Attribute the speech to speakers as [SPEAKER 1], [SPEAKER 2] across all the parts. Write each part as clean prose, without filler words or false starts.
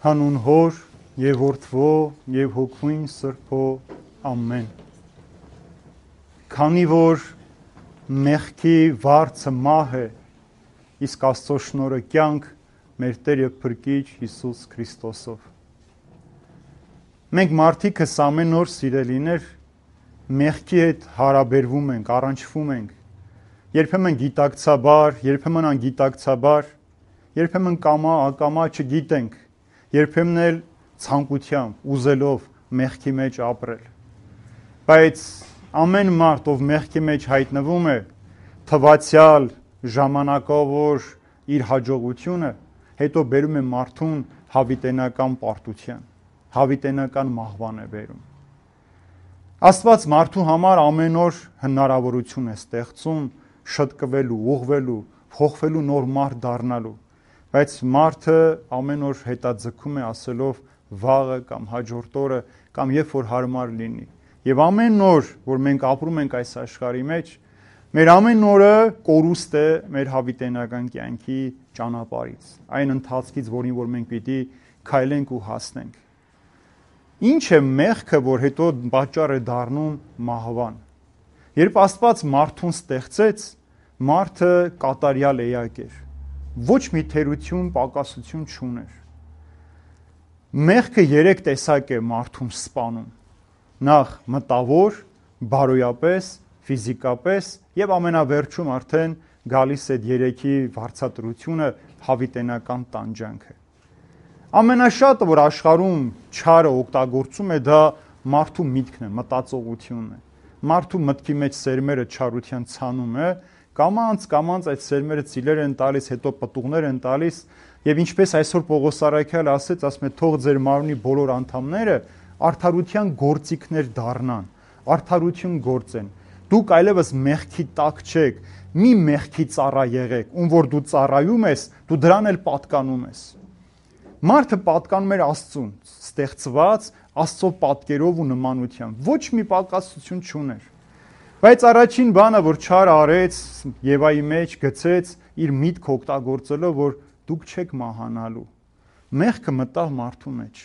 [SPEAKER 1] Հանուն Հոր եւ Որդվո եւ Հոգուին Սրբո ամեն։ Քանի որ մեղքի վարձը մահ է, իսկ Աստծո շնորհը կյանք մեր Տեր եւ Փրկիչ Հիսուս Քրիստոսով։ Մենք մարդիկս ամեն օր սիրելիներ մեղքի հետ հարաբերվում ենք, առնչվում ենք, երբեմն գիտակցաբար, երբեմն անգիտակցաբար, երբեմն կամա, ակամա չգիտենք, երբեմն էլ ցանկությամբ, ուզելով մեղքի մեջ ապրել։ Բայց ամեն մարդ, ով մեղքի մեջ հայտնվում է, թվացյալ ժամանակավոր իր հաջողությունը հետո բերում է մարդուն հավիտենական պարտության, հավիտենական մահվան է բերում։ Աստված մարդու համար ամեն օր հնարավորություն է ստեղծում շտկվելու, ուղղվելու, փոխվելու նոր մարդ դառնալու, բայց մարդը ամեն օր հետաձգում է ասելով վաղը կամ հաջորդ օրը կամ երբ որ հարմար լինի։ Եվ ամեն օր, որ մենք ապրում ենք այս աշխարհի մեջ, մեր ամեն օրը կորուստ է մեր հավիտենական կյանքի ճանապարհից, այն ընթացքից, որին որ մենք պիտի քայլենք ու հասնենք։ Ինչ է մեղքը, որ հետո պատճառ է դառնում մահվան։ Երբ Աստված մարդուն ստեղծեց, մարդը կատարյալ էակ էր, ոչ մի թերություն, պակասություն չուներ։ Մեղքը 3 տեսակ է մարդուն սպանում. նախ մտավոր, բարոյապես, ֆիզիկապես եւ ամենավերջում արդեն գալիս է 3-ի վարձատրությունը հավիտենական տանջանքը։ Ամենաշատը, որ աշխարհում չարը օգտագործում է, դա մարդու միտքն է, մտածողությունն է։ Մարդու մտքի մեջ սերմերը չարության ցանում է, կամանց այդ սերմերը ծիլեր են տալիս, հետո պտուղներ են տալիս, եւ ինչպես այսօր Պողոս Առաքյալը ասեց, թող ձեր մարմնի բոլոր անդամները արդարության գործիքներ դառնան, արդարություն գործեն։ Դուք այլևս մեղքի տակ չեք, մի մեղքի ծառա եղեք, ում որ դու ծառայում ես, դու դրան էլ պատկանում ես։ Մարդը պատկանում էր Աստծուն, ստեղծված Աստծո պատկերով ու նմանությամբ, ոչ մի պակասություն չուներ։ Բայց առաջին բանը, որ չար արեց, Եվայի մեջ գցեց իր միտք օգտագործելով, որ դուք չեք մահանալու։ Մեղքը մտավ մարդու մեջ։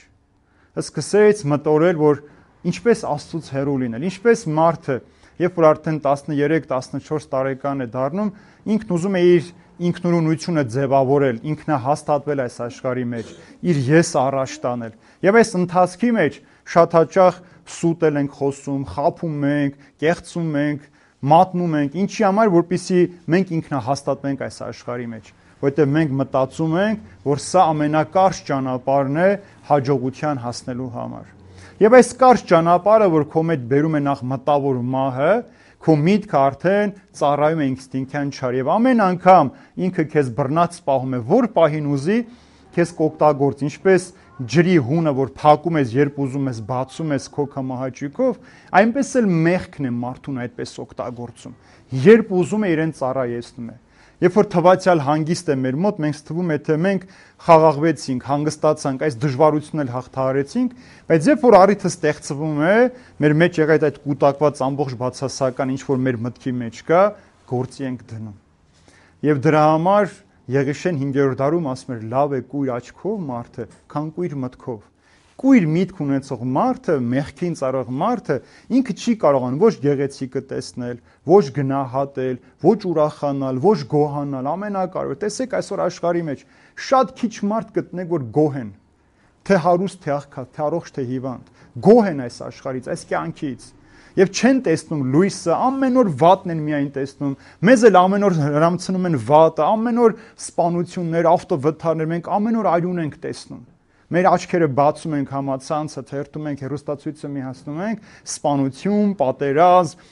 [SPEAKER 1] Սկսեց մտորել, որ ինչպես Աստծուց հեռու լինել, ինչպես մարդը, երբ որ արդեն 13-14 տարեկան է դառնում, ինքն ուզում է իր ինքնուրույնությունը ձևավորել, ինքնահաստատվել այս աշխարհի մեջ, իր ես առաջ տանել։ Եվ այս ընթացքի մեջ շատ հաճախ սուտել ենք խոսում, խաբում ենք, կեղծում ենք, մատնում ենք, ինչի համար, որպեսզի մենք ինքնահաստատվենք այս աշխարհի մեջ, որովհետև մենք մտածում ենք, որ սա ամենակարճ ճանապարհն է հաջողության հասնելու համար։ Եվ այս կարճ ճանապարհը, որ քո մեջ բերում է նախ մտավոր մահը, քո միտքը արդեն ծառայում է ինստինկտյան չար եւ ամեն անգամ ինքը քեզ բռնած պահում է, որ պահին ուզի քեզ կօգտագործ, ինչպես ջրի հունը, որ փակում ես, երբ ուզում ես, բացում ես քո կամահաճույքով, այնպես էլ մեղքն է մարդուն այդպես օգտագործում, երբ ուզում է իրեն ծառայեցնում է։ Երբ որ թվացյալ հանգիստ է մեր մոտ, մենք թվում է, թե մենք խաղաղվեցինք, հանգստացանք, այս դժվարությունն էլ հաղթահարեցինք, բայց երբ որ առիթը ստեղծվում է, մեր մեջ եղած այդ կուտակված ամբողջ բացասական ինչ որ մեր մտքի մեջ կա, գործի ենք դնում։ Եվ դրա համար Եղիշեն 5-րդ դարում ասում էր՝ լավ է կույր աչքով մարդը, քան կույր մտքով։ Կույր միտք ունեցող մարդը, մեղքին ծառայող մարդը, ինքը չի կարողանում ոչ գեղեցիկը տեսնել, ոչ գնահատել, ոչ ուրախանալ, ոչ գոհանալ, ամենակարևորը։ Տեսեք այսօր աշխարհի մեջ շատ քիչ մարդ կտնեք, որ գոհ են, թե հարուստ, թե աղքատ, թե առողջ, թե հիվանդ, գոհ են այս աշխարհից, այս կյանքից։ Եվ չեն տեսնում լույսը, ամեն օր վատն են միայն տեսնում։ Մեզ էլ ամեն օր հրամցնում են վատը, ամեն օր սպանություններ, ավտովթարներ, մենք ամեն օր արյուն ենք տեսնում։ Մեր աչքերը բացում ենք համացանցը, թերթում ենք, հեռուստացույցը միացնում ենք, սպանություն, պատերազմ,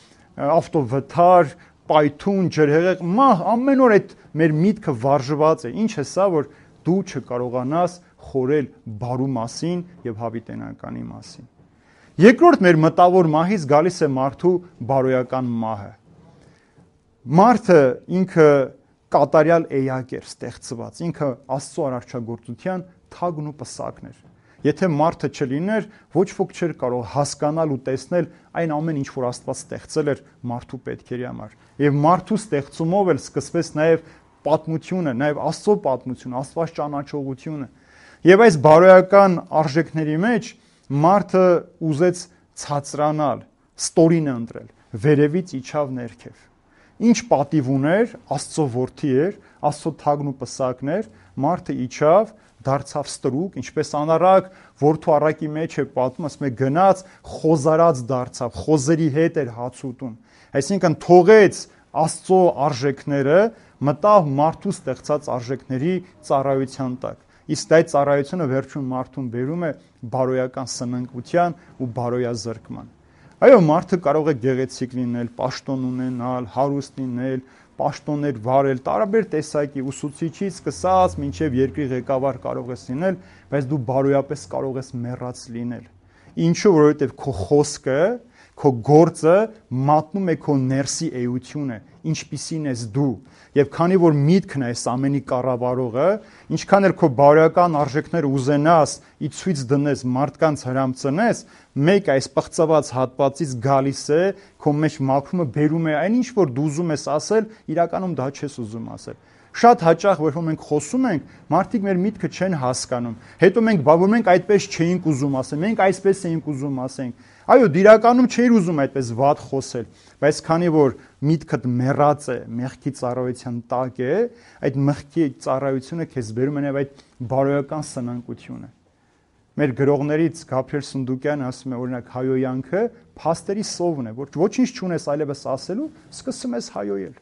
[SPEAKER 1] ավտովթար, պայթուն, ջրհեղեղ, մահ, ամեն օր այդ մեր միտքը վարժված է։ Ինչ է սա, որ դու չկարողանաս խորել բարու մասին եւ հավիտենականի մասին։ Երկրորդ մեր մտավոր մահից գալիս է մարդու բարոյական մահը։ Մարդը ինքը կատարյալ էակ էր ստեղծված, ինքը Աստծո արարչագործության թագն ու պսակն էր։ Եթե մարդը չլիներ, ոչ ոք չէր կարող հասկանալ ու տեսնել այն ամեն ինչ, որ Աստված ստեղծել էր մարդու պետքերի համար։ Եվ մարդու ստեղծումով էլ սկսվեց նաև պատմությունը, նաև Աստծո պատմությունը, Աստված ճանաչողությունը։ Եվ այս բարոյական արժեքների մեջ մարդը ուզեց ցածրանալ, ստորին ընտրել, վերևից իջավ ներքև։ Ինչ պատիվ ուներ, Աստծո որդի էր, Աստծո թագն ու պսակն էր, մարդը իջավ, դարձավ ստրուկ, ինչպես անառակ որդու առակի մեջ է պատմում, ասում է գնաց, խոզարած դարձավ, խոզերի հետ էր հաց ուտում։ Այսինքն թողեց Աստծո արժեքները, մտավ մարդու ստեղծած արժեքների ծառայության տակ։ Իսկ այդ ծառայությունը վերջում մարդուն բերում է բարոյական սնանկության ու բարոյազրկման։ Այո, մարդը կարող է գեղեցիկ լինել, պաշտոն ունենալ, հարուստ լինել, պաշտոններ վարել, տարբեր տեսակի ուսուցիչից սկսած մինչև երկրի ղեկավար կարող ես լինել, բայց դու բարոյապես կարող ես մեռած լինել։ Ինչու, որովհետև քո խոսքը, քո գործը մատնում է քո ներսի էությունը, ինչպիսին ես դու։ Եվ քանի որ միտքն է այս ամենի կառավարողը, ինչքան էլ քո բարոյական արժեքները ուզենաս ի ցույց դնես, մարդկանց հրամցնես, մեկ այս պղծված հատվածից գալիս է, քո մեջ մաքրումը բերում է այն ինչ որ դու ուզում ես ասել, իրականում դա չես ուզում ասել։ Շատ հաճախ որ մենք խոսում ենք, մարդիկ մեր միտքը չեն հասկանում։ Հետո մենք այդպես չէինք ուզում ասել, մենք այսպես էինք ուզում ասենք։ Այո, իրականում չէիր ուզում այդպես վատ խոսել, բայց քանի որ միտքդ մեռած է, մեղքի ծառայության տակ է, այդ մեղքի ծառայությունը քեզ բերում է այդ բարոյական սնանկությունը։ Մեր գրողներից Գաբրիել Սունդուկյանը ասում է օրինակ հայոյանքը փաստերի սովն է, որ ոչինչ չունես այլևս ասելու, սկսում ես հայոյել։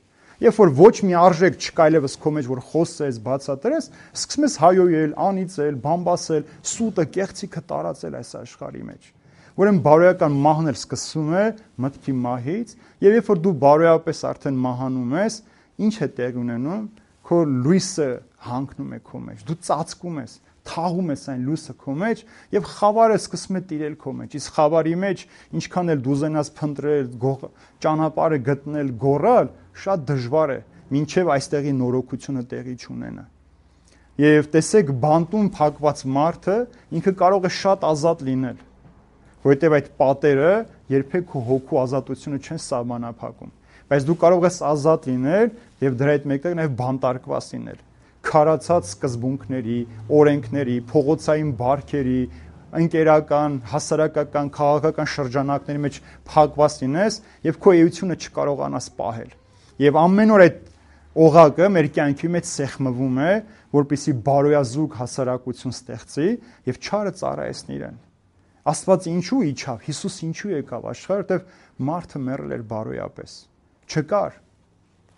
[SPEAKER 1] Երբ որ ոչ մի արժեք չկա այլևս քո մեջ, որ խոսես, բացատրես, սկսում ես հայոյել, անիծել, բամբասել, սուտը, կեղծիքը տարածել այս աշխարհի մեջ։ Ուրեմն բարոյական մահն էլ սկսում է մտքի մահից, եւ երբ որ դու բարոյապես արդեն մահանում ես, ինչ է տեղ ունենում, քո լույսը հանգնում է քո մեջ, դու ծածկում ես, թաղում ես այն լույսը քո մեջ եւ խավարը սկսում է տիրել քո մեջ։ Իսկ խավարի մեջ ինչքան էլ դու ուզենաս փնտրել, ճանապարհը գտնել, գոռալ, շատ դժվար է, մինչեւ այստեղի նորոգությունը տեղի չունենա։ Եվ տեսեք, բանտում փակված մարդը ինքը կարող է շատ ազատ լինել, որովհետև այդ պատերը երբեք քո հոգու ազատությունը չեն սահմանափակում, բայց դու կարող ես ազատ լինել եւ դրա հետ մեկտեղ նաեւ բանտարկված լինել, քարացած սկզբունքների, օրենքների, փողոցային բարքերի, ընկերական, հասարակական, քաղաքական շրջանակների մեջ փակված լինես եւ քո էությունը չկարողանաս պահել։ Եվ ամեն օր այդ օղակը մեր կյանքի մեջ սեղմվում է, որպեսզի բարոյազուգ հասարակություն ստեղծի եւ չարը ծառայեցնի իրեն։ Աստված ինչու իջավ, Հիսուս ինչու եկավ աշխարհ, որտեվ մարդը մեռել էր բարոյապես։ Չկար,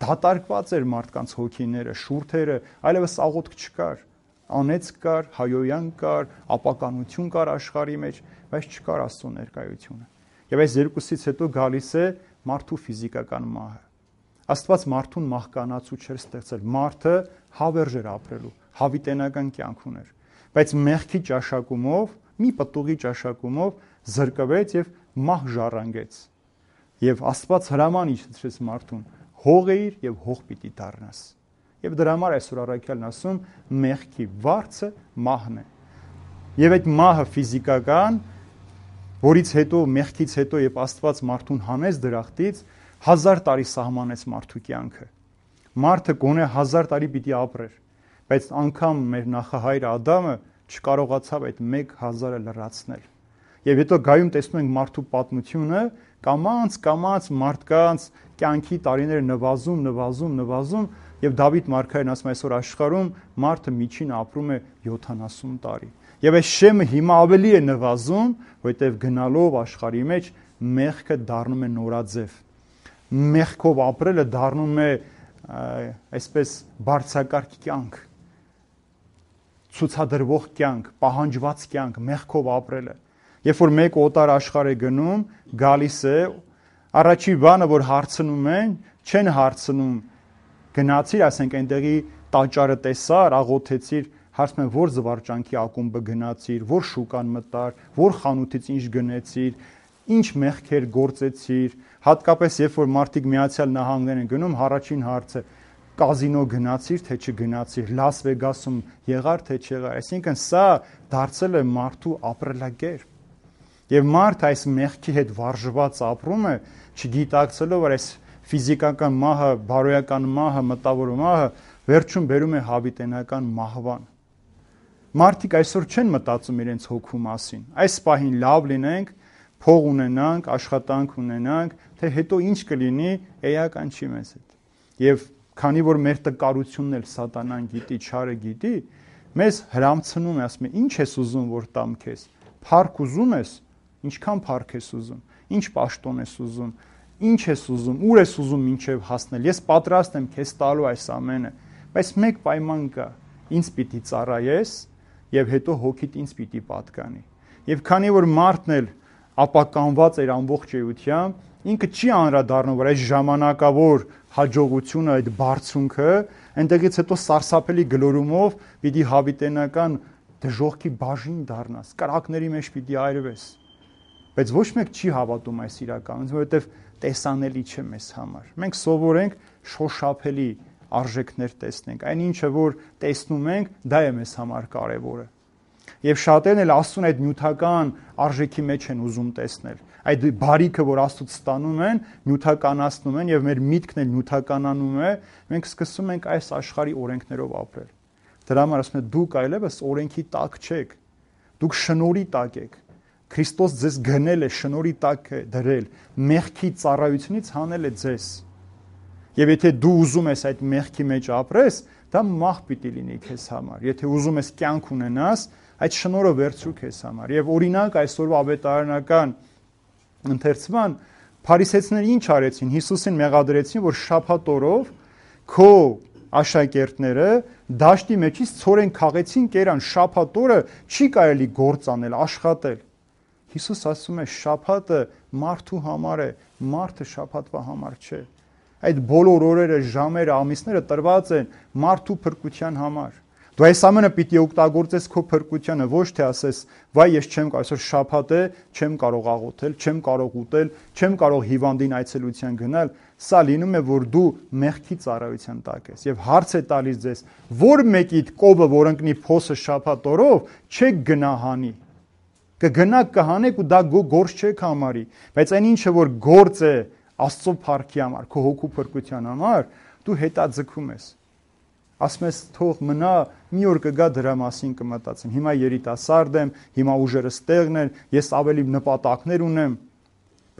[SPEAKER 1] դատարկված էր մարդկանց հոգիները, շուրթերը, այլևս աղոթք չկար, անեծք կար, հայոյան կար, ապականություն կար աշխարհի մեջ, բայց չկար Աստծո ներկայությունը։ Եվ այս երկուսից հետո գալիս է մարդու ֆիզիկական մահը։ Աստված մարդուն մահկանացու չէր ստեղծել, մարդը հավերժ էր ապրելու, հավիտենական կյանք ուներ, բայց մեղքի ճաշակումով, մի պտուղի ճաշակումով զրկվեց եւ մահ ժառանգեց։ Եվ Աստված հրաման իջեցրեց մարդուն. հող էիր եւ հող պիտի դառնաս։ Եվ դրա համար այսօր առաքյալն ասում մեղքի վարձը մահն է։ Եվ այդ մահը ֆիզիկական, որից հետո մեղքից հետո երբ Աստված մարդուն հանեց դրախտից, 1000 տարի սահմանեց մարդու կյանքը։ Մարդը գոնե 1000 տարի պիտի ապրեր, բայց անգամ մեր նախահայր Ադամը չկարողացավ այդ 1000-ը լրացնել։ Եվ հետո գայում տեսնում ենք մարդու պատմությունը, կամաց մարդկանց կյանքի տարիները նվազում, եւ Դավիթ մարգարեն ասում այսօր աշխարհում մարդը միջին ապրում է 70 տարի։ Եվ այս շեմը հիմա ավելի է նվազում, որովհետեւ գնալով աշխարհի մեջ մեղքը դառնում է նորաձև։ Մեղքով ապրելը դառնում է այսպես բարձրակարգ կյանք, ցուցադրվող կյանք, պահանջված կյանք, մեղքով ապրելը։ Երբ որ մեկ օտար աշխարհ է գնում, գալիս է, առաջի բանը որ հարցնում են, չեն հարցնում գնացիր, ասենք այնտեղի տաճարը տեսար, աղոթեցիր, հարցնում են որ զվարճանքի ակումբը գնացիր, որ շուկան մտար, որ խանութից ինչ գնեցիր, ինչ մեղքեր գործեցիր, հատկապես երբ որ մարդիկ Միացյալ Նահանգներ են գնում, առաջին հարցը կազինո գնացիր, թե չգնացիր, Լաս Վեգասում եղար, թե չեղար, այսինքն սա դարձել է մարդու ապրելակերպ։ Եվ մարդը այս մեղքի հետ վարժված ապրում է, չգիտակցելով, որ այս ֆիզիկական մահը, բարոյական մահը, մտավոր մահը վերջում բերում է հավիտենական մահվան։ Մարդիկ այսօր չեն մտածում իրենց հոգու մասին։ Այս պահին լավ լինենք, փող ունենանք, աշխատանք ունենանք, թե հետո ինչ կլինի, էական չի մեզ հետ։ Եվ քանի որ մեր տկարությունն էլ սատանան գիտի, չարը գիտի, մեզ հրամցնում է, ասում է, ինչ ես ուզում որ տամ քեզ։ Փառք ուզում ես, ինչքան փառք ես ուզում, ինչ պաշտոն ես ուզում, ինչ ես ուզում, ուր ես ուզում մինչև հասնել։ Ես պատրաստ եմ քեզ տալու այս ամենը, բայց մեկ պայման կա, ինձ պիտի ծառայես եւ հետո հոգիդ ինձ պիտի պատկանի։ Եվ քանի որ մարդն էլ ապականված էր ամբողջ էությամբ, ինքը չի անդրադառնում, որ այս ժամանակավոր հաջողությունը, այդ բարձունքը, այնտեղից հետո սարսափելի գլորումով պիտի հավիտենական դժողքի բաժին դառնաս, կրակների մեջ պիտի այրվես։ Բայց ոչ մեկ չի հավատում այս իրականությունը, որովհետև տեսանելի չէ մեզ համար։ Մենք սովորենք շոշափելի արժեքներ տեսնենք։ Այն ինչը որ տեսնում ենք, դա է մեզ համար կարևորը։ Եվ շատերն էլ Աստծուն այդ նյութական արժեքի մեջ են ուզում տեսնել։ Այդ բարիքը, որ Աստծուց ստանում են, նյութականացնում են եւ մեր միտքն էլ նյութականանում է, մենք սկսում ենք այս աշխարհի օրենքներով ապրել։ Դրա համար ասում եմ, դուք այլևս օրենքի տակ չեք։ Դուք շնորհի տակ եք։ Քրիստոս ձեզ գնել է, շնորհի տակ է դրել, մեղքի ծառայությունից հանել է ձեզ։ Եվ եթե դու ուզում ես այդ մեղքի մեջ ապրես, դա մահ պիտի լինի քեզ համար։ Եթե ուզում ես կյանք ունենաս, այդ շնորհը վերցրու քեզ համար։ Եվ օրինակ այսօրվա ավետարանական ընթերցման փարիսեցիները ինչ արեցին։ Հիսուսին մեղադրեցին, որ շաբաթ օրով քո աշակերտները դաշտի մեջից ցորեն քաղեցին, կերան, շաբաթ օրը չի կարելի գործ անել, աշխատել։ Հիսուս ասում է, շաբաթը մարդու համար է, մարդը շաբաթվա համար չէ։ Այդ բոլոր օրերը, ժամերը, ամիսները տրված են մարդու փրկության համար։ Դու այս ամենը պիտի օգտագործես քո փրկությանը, ոչ թե ասես, վայ ես չեմ կարող, այսօր շաբաթ է, չեմ կարող աղոթել, չեմ կարող ուտել, չեմ կարող հիվանդին այցելության գնալ։ Սա լինում է, որ դու մեղքի ծառայության տակ ես։ Եվ հարց է տալիս ձեզ, որ մեկիդ կովը, որ ընկնի փոսը շաբաթ օրով, չեք գնահանի։ Կգնաք կհանեք ու դա գործ չեք համարի, բայց այն ինչը որ գործ է Աստծո փառքի համար, քո հոգու փրկության համար, դու հետաձգում ես։ Ասում ես թող մնա, մի օր կգա դրա մասին կմտածեմ։ Հիմա երիտասարդ եմ, հիմա ուժերս տեղն են, ես ավելի նպատակներ ունեմ,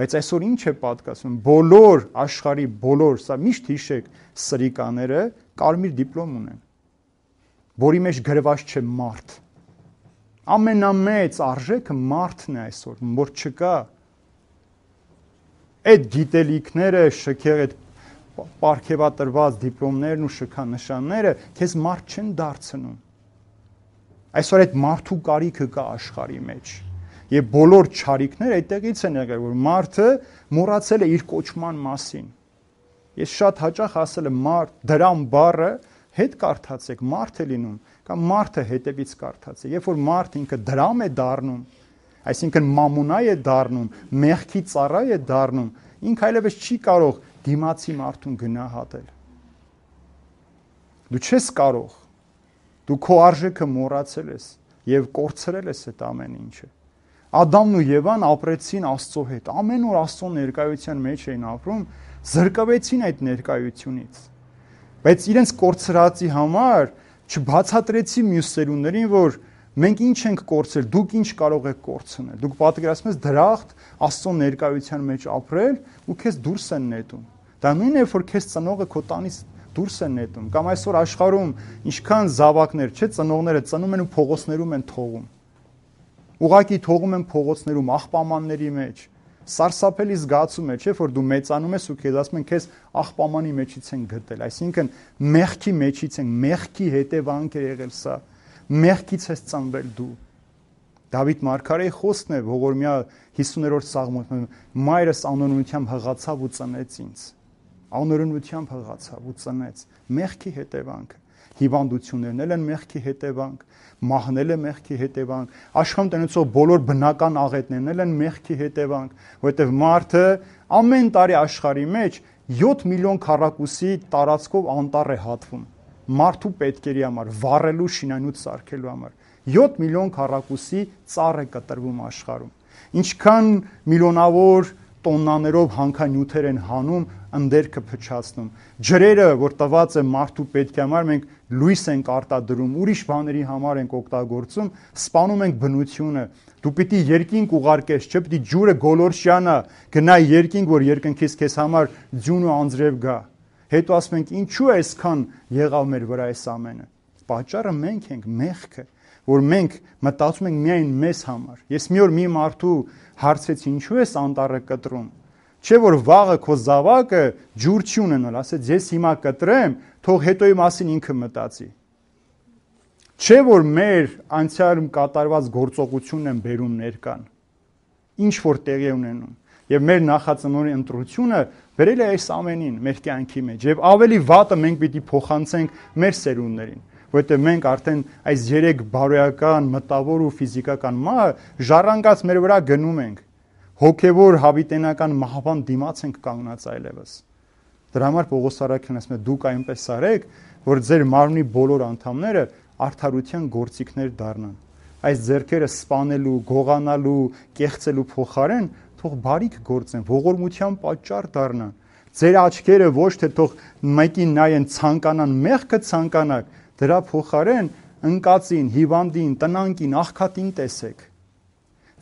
[SPEAKER 1] բայց այսօր ինչ է պատկասում։ Բոլոր աշխարհի բոլոր, սա միշտ հիշեք, սրիկաները կարմիր դիպլոմ ունեն, որի մեջ գրված չէ մարդ։ Ամենամեծ արժեքը մարդն է այսօր, որ չկա։ Այդ գիտելիքները, շքեղ այդ պարգևատրված դիպլոմներն ու շքանշանները քեզ մարդ չեն դարձնում։ Այսօր այդ մարդու կարիքը կա աշխարհի մեջ։ Եվ բոլոր չարիքները այդտեղից են եղել, որ մարդը մոռացել է իր կոչման մասին։ Ես շատ հաճախ ասել եմ, դրամ բառը հետ կարդացեք, մարդ է լինում, կամ մարդը հետևից կարդացեք։ Երբ որ մարդ ինքը դրամ է դառնում, այսինքն մամոնա է դառնում, մեղքի ծառա է դառնում, ինքը այլևս չի կարող դիմացի մարդուն գնահատել։ Դու չես կարող, դու քո արժեքը մոռացել ես եւ կորցրել ես այդ ամեն ինչը։ Ադամն ու Եվան ապրեցին Աստծո հետ, ամեն օր Աստծո ներկայության մեջ էին ապրում, զրկվեցին այդ ներկայությունից։ Բայց իրենց կորցրածի համար չբացատրեցի մյուս սերունդներին, որ մենք ինչ ենք կորցրել, դուք ինչ կարող եք կորցնել։ Դուք պատկերացնում եք դրախտ Աստծո ներկայության մեջ ապրել ու քեզ դուրս են նետում։ Դա նույնն է, որ քեզ ծնողը քո տանից դուրս են նետում։ Կամ այսօր աշխարհում ինչքան զավակներ, չէ, ծնողները ծնում են ու փողոցներում են թողում։ Ուղղակի թողում են փողոցներում, աղբամանների մեջ։ Սարսափելի զգացում է, չէ, որ դու մեծանում ես ու քեզ ասում են քեզ աղբամանի մեջից են գտել, այսինքն մեղքի մեջից են, մեղքի հետևանք է եղել սա, մեղքից ես ծնվել դու։ Դավիթ մարգարեի խոսքն է ողորմյա 50-րդ սաղմոն, մայրս անօրենությամբ հղացավ ու ծնեց ինձ։ Անօրենությամբ հղացավ ու ծնեց, մեղքի հետևանքը։ Հիվանդություններն են մեղքի հետևանք, մահն է մեղքի հետևանք, աշխարհում տնեցող բոլոր բնական աղետներն են մեղքի հետևանք, որովհետև մարդը ամեն տարի աշխարհի մեջ 7 միլիոն քառակուսի տարածքով անտառ է հատվում, մարդու պետքերի համար, վառելու, շինանյութ սարքելու համար, 7 միլիոն քառակուսի ծառ է կտրվում աշխարհում, ինչքան միլիոնավոր տոննաներով հանքանյութեր են հանում, ընդերքը փչացնում։ Ջրերը, որ տված է մարդու պետքի համար, մենք լույս ենք արտադրում, ուրիշ բաների համար ենք օգտագործում, սպանում ենք բնությունը։ Դու պիտի երկինք ուղարկես, չէ՞ պիտի ջուրը գոլորշյանա, գնա երկինք, որ երկնքից քեզ համար ձյուն ու անձրև գա։ Հետո ասում ենք, ինչու է այսքան եղավ մեր վրա այս ամենը։ Պատճառը մենք ենք, մեղքը, որ մենք մտածում ենք միայն մեզ համար։ Ես մի օր մի մարդու հարցրեցի, ինչու ես անտառը կտրում։ Չէ՞ որ վաղը քո զավակը ջուր չի ունենալ, ասեց ես հիմա կտրեմ, թող հետոյի մասին ինքը մտածի։ Չէ՞ որ մեր անցյալում կատարված գործողությունն են բերում ներկան։ Ինչ որ տեղի ունենում։ Եվ մեր նախածնորի ընտրությունը վերել է այս ամենին մեր կյանքի մեջ։ Եվ ավելի վատը մենք պիտի փոխանցենք մեր սերունդներին, որովհետև մենք արդեն այս 3 բարոյական, մտավոր ու ֆիզիկական մահը ժառանգած մեր վրա գնում ենք։ Հոգևոր հավիտենական մահվան դիմաց ենք կանգնած այլևս։ Դրա համար Պողոս առաքյալն ասում է դուք այնպես արեք, որ ձեր մարմնի բոլոր անդամները արդարության գործիքներ դառնան։ Այս ձեռքերը սպանելու, գողանալու, կեղծելու փոխարեն թող բարիք գործեն, ողորմության պատճառ դառնան։ Ձեր աչքերը ոչ թե թող մեկին նայեն ցանկանան, մեղքը ցանկանաք, դրա փոխարեն ընկածին, հիվանդին, տնանկին, աղքատին տեսեք։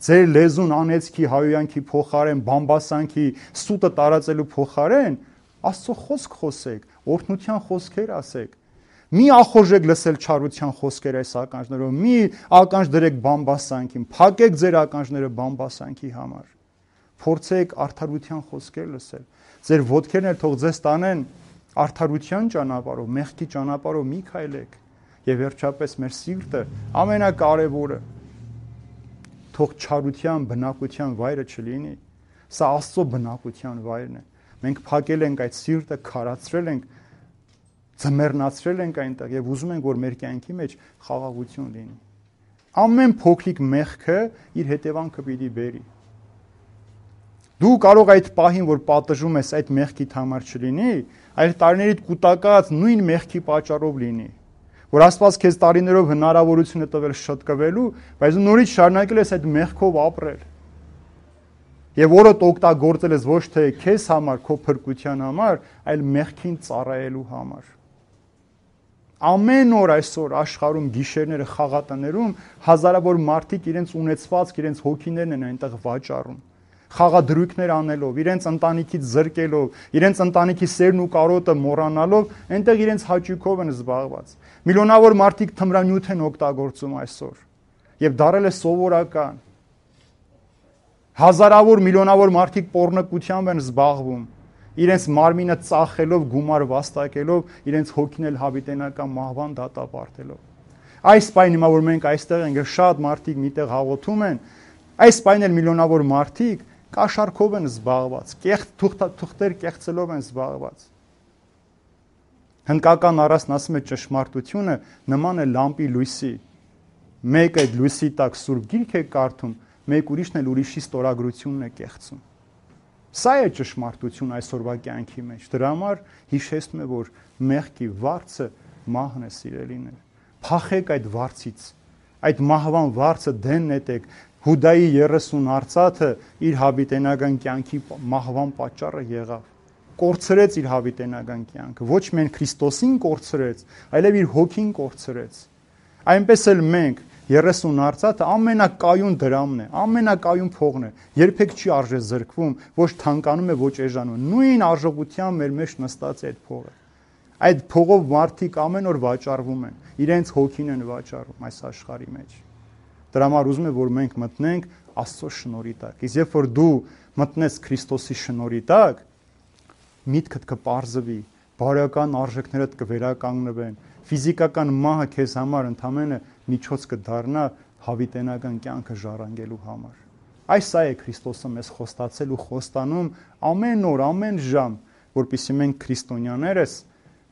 [SPEAKER 1] Ձեր լեզուն անեծքի, հայոյանքի փոխարեն, բամբասանքի, սուտը տարածելու փոխարեն Աստծո խոսք խոսեք, օրհնության խոսքեր ասեք։ Մի ախորժեք լսել չարության խոսքեր այս ականջներով, մի ականջ դրեք բամբասանքին, փակեք ձեր ականջները բամբասանքի համար։ Փորձեք արդարության խոսքեր լսել։ Ձեր ոտքերն էլ թող ձեզ տանեն արդարության ճանապարհով, մեղքի ճանապարհով մի քայլեք։ Եվ վերջապես մեր սիրտը ամենակարևորը թող չարության բնակության վայրը չլինի։ Սա Աստծո բնակության վայրն է։ Մենք փակել ենք այդ սիրտը, քարացրել ենք, ձմեռնացրել ենք այնտեղ եւ ուզում ենք, որ մեր կյանքի մեջ խաղաղություն լինի։ Ամեն փոքրիկ մեղքը իր հետևանքը պիտի բերի։ Դու կարող այդ պահին, որ պատժում ես, այդ մեղքիդ համար չլինի, այլ տարիներիդ կուտակած նույն մեղքի պատճառով լինի։ Որ Աստված քեզ տարիներով հնարավորություն է տվել շտկվելու, բայց նորից շարունակել ես այդ մեղքով ապրել։ Եվ օրդ օգտագործել ես ոչ թե քեզ համար, քո փրկության համար, այլ մեղքին ծառայելու համար։ Ամեն օր այսօր աշխարհում գիշերները խաղատներում հազարավոր մարդիկ իրենց ունեցվածք, իրենց հոգիներն են այնտեղ վաճառում։ Խաղադրույքներ անելով, իրենց ընտանիքից զրկելով, իրենց ընտանիքի սերն ու կարոտը մոռանալով, այնտեղ իրենց հաճույքով են զբաղված։ Միլիոնավոր մարդիկ թմրանյութ են օգտագործում այսօր եւ դարել է սովորական։ Հազարավոր միլիոնավոր մարդիկ պոռնկությամբ են զբաղվում, իրենց մարմինը ծախելով, գումար վաստակելով, իրենց հոգին էլ հավիտենական մահվան դատապարտելով։ Այս պայն հիմա որ մենք այստեղ ենք, շատ մարդիկ միտեղ հաղորդում են, այս պայն էլ միլիոնավոր մարդիկ կաշառքով են զբաղված, թուղթեր կեղծելով են զբաղված։ Հնդկական առասն ասում է ճշմարտությունը նման է լամպի լույսի։ Մեկ այդ լույսի տակ սուրբ գիրք է կարդում, մեկ ուրիշն էլ ուրիշի ստորագրությունն է կեղծում։ Սա է ճշմարտություն այսօրվա կյանքի մեջ։ Դրա համար հիշեցնում է, որ մեղքի վարձը մահն է, սիրելիներ։ Փախեք այդ վարձից, այդ մահվան վարձը դեն նետեք։ Հուդայի 30 արծաթը իր հավիտենական կյանքի մահվան պատճառը եղավ։ Կորցրեց իր հավիտենական կյանքը, ոչ միայն Քրիստոսին կորցրեց, այլև իր հոգին կորցրեց։ Այնպես էլ մենք 30 արծաթը ամենակայուն դրամն է, ամենակայուն փողն է, երբեք չի արժե զրկվում, ոչ թանկանում է, ոչ էժանում։ Նույն արժողությամբ մեր մեջ նստած է այդ փողը։ Այդ փողով մարդիկ ամեն օր վաճառվում են, իրենց հոգին են վաճառում այս աշխարհի մեջ։ Դրա համար ուզում եմ, որ մենք մտնենք Աստծո շնորհի տակ։ Իսկ երբ որ դու մտնես Քրիստոսի շնորհի տակ, միտքդ կպարզվի, բարոյական արժեքներդ կվերականգնվեն, ֆիզիկական մահը քեզ համար ընդամենը միջոց կդառնա հավիտենական կյանքը ժառանգելու համար։ Այս է Քրիստոսը մեզ խոստացել ու խոստանում ամեն օր, ամեն ժամ, որպեսզի մենք քրիստոնյաներս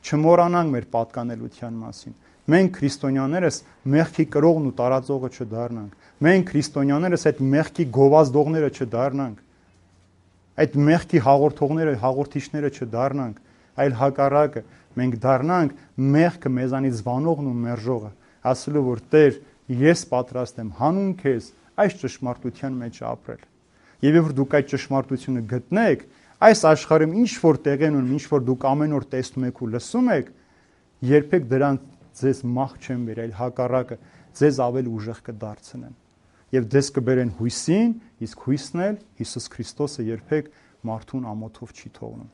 [SPEAKER 1] չմոռանանք մեր պատկանելության մասին։ Մենք քրիստոնյաներս մեղքի կրողն ու տարածողը չդառնանք։ Մենք քրիստոնյաներս այդ մեղքի գովազդողները չդառնանք։ Այդ մեղքի հաղորդողները, հաղորդիչները չդառնանք, այլ հակառակը, մենք դառնանք մեղքը մեզանից զվանողն ու մերժողը, ասելով որ Տեր, ես պատրաստ եմ հանուն քեզ այս ճշմարտության մեջ ապրել։ Եվ երբ դուք այդ ճշմարտությունը գտնեք, այս աշխարհում ինչ որ տեղ են ունում, ինչ որ դուք ամեն օր տեսնում եք ու լսում եք, երբեք դրան ձեզ մահ չեն բերել, հակառակը ձեզ ավելի ուժեղ կդարձնեն։ Եվ ձեզ կբերեն հույսին, իսկ հույսն էլ Հիսուս Քրիստոսը երբեք մարդուն ամոթով չի թողնում։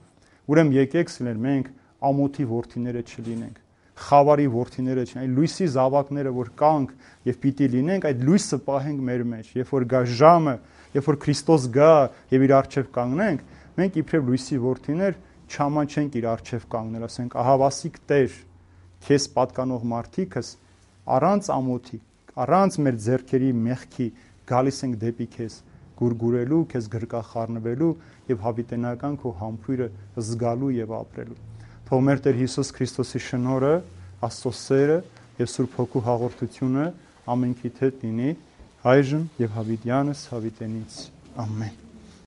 [SPEAKER 1] Ուրեմն եկեք սիրել մենք ամոթի որդիները չլինենք, խավարի որդիները չլինենք, այլ լույսի զավակները որ կանք եւ պիտի լինենք, այդ լույսը պահենք մեր մեջ։ Երբ որ գա ժամը, երբ որ Քրիստոս գա եւ իր առջեւ կանգնենք, մենք իբրև լույսի որդիներ չամանչենք իր առջեւ կանգնել, ասենք ահավասիկ Տեր, քեզ պատկանող մարդիկս առանց ամոթի, առանց մեր ձեռքերի մեղքի գալիս ենք դեպի քեզ գուրգուրելու, քեզ գրկախառնվելու եւ հավիտենական քո համբույրը զգալու եւ ապրելու։ Թող մեր Տեր Հիսուս Քրիստոսի շնորհը, Աստծո սերը եւ Սուրբ Հոգու հաղորդությունը ամենքիդ հետ լինի այժմ եւ հավիտյանս հավիտենից։ Ամեն։